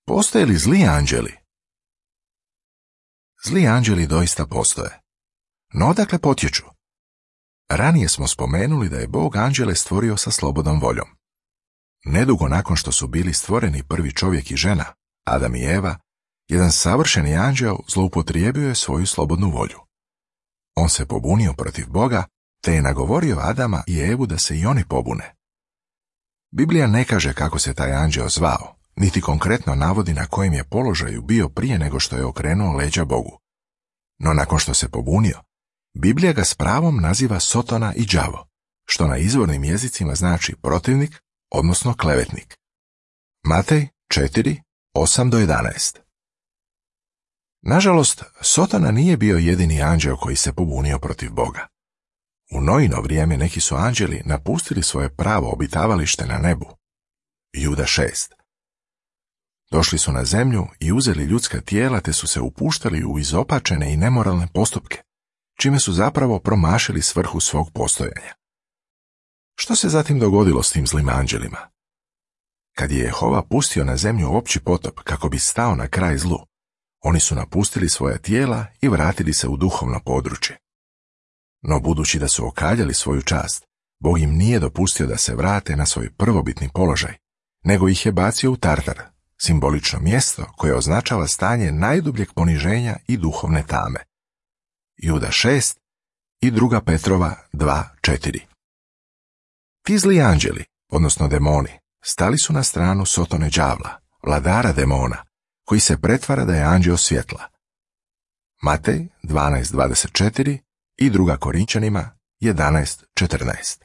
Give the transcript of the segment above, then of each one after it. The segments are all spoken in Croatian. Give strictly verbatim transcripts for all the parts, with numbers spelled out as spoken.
Postoje li zli anđeli? Zli anđeli doista postoje. No odakle potječu? Ranije smo spomenuli da je Bog anđele stvorio sa slobodnom voljom. Nedugo nakon što su bili stvoreni prvi čovjek i žena, Adam i Eva, jedan savršeni anđeo zloupotrijebio je svoju slobodnu volju. On se pobunio protiv Boga, te je nagovorio Adama i Evu da se i oni pobune. Biblija ne kaže kako se taj anđeo zvao, niti konkretno navodi na kojem je položaju bio prije nego što je okrenuo leđa Bogu. No nakon što se pobunio, Biblija ga s pravom naziva Sotona i đavo, što na izvornim jezicima znači protivnik, odnosno klevetnik. Matej četiri, osam do jedanaest. Nažalost, Sotona nije bio jedini anđeo koji se pobunio protiv Boga. U Noino vrijeme neki su anđeli napustili svoje pravo obitavalište na nebu. Juda šest. Došli su na zemlju i uzeli ljudska tijela te su se upuštali u izopačene i nemoralne postupke, čime su zapravo promašili svrhu svog postojanja. Što se zatim dogodilo s tim zlim anđelima? Kad je Jehova pustio na zemlju opći potop kako bi stao na kraj zlu, oni su napustili svoja tijela i vratili se u duhovno područje. No budući da su okaljali svoju čast, Bog im nije dopustio da se vrate na svoj prvobitni položaj, nego ih je bacio u Tartar, simbolično mjesto koje označava stanje najdubljeg poniženja i duhovne tame. Juda šest i druga Petrova dva, četiri. Ti zli anđeli, odnosno demoni, stali su na stranu Sotone đavla, vladara demona, koji se pretvara da je anđeo svjetla. Matej dvanaest, dvadeset četiri i druga Korinčanima jedanaest, četrnaest.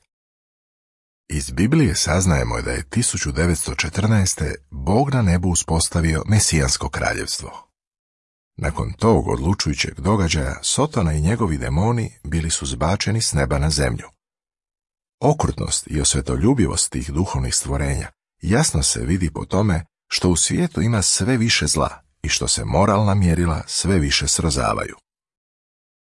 Iz Biblije saznajemo da je tisuću devetsto četrnaeste. Bog na nebu uspostavio mesijansko kraljevstvo. Nakon tog odlučujućeg događaja Sotona i njegovi demoni bili su zbačeni s neba na zemlju. Okrutnost i osvetoljubivost tih duhovnih stvorenja jasno se vidi po tome što u svijetu ima sve više zla i što se moralna mjerila sve više srozavaju.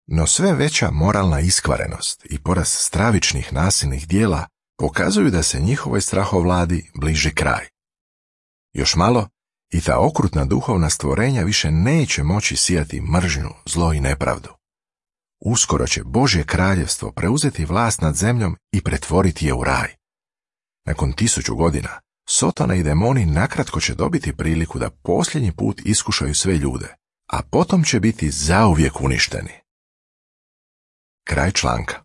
No sve veća moralna iskvarenost i porast stravičnih nasilnih dijela pokazuju da se njihovoj strahovladi bliži kraj. Još malo i ta okrutna duhovna stvorenja više neće moći sijati mržnju, zlo i nepravdu. Uskoro će Božje kraljevstvo preuzeti vlast nad zemljom i pretvoriti je u raj. Nakon tisuću godina, Sotona i demoni nakratko će dobiti priliku da posljednji put iskušaju sve ljude, a potom će biti zauvijek uništeni. Kraj članka.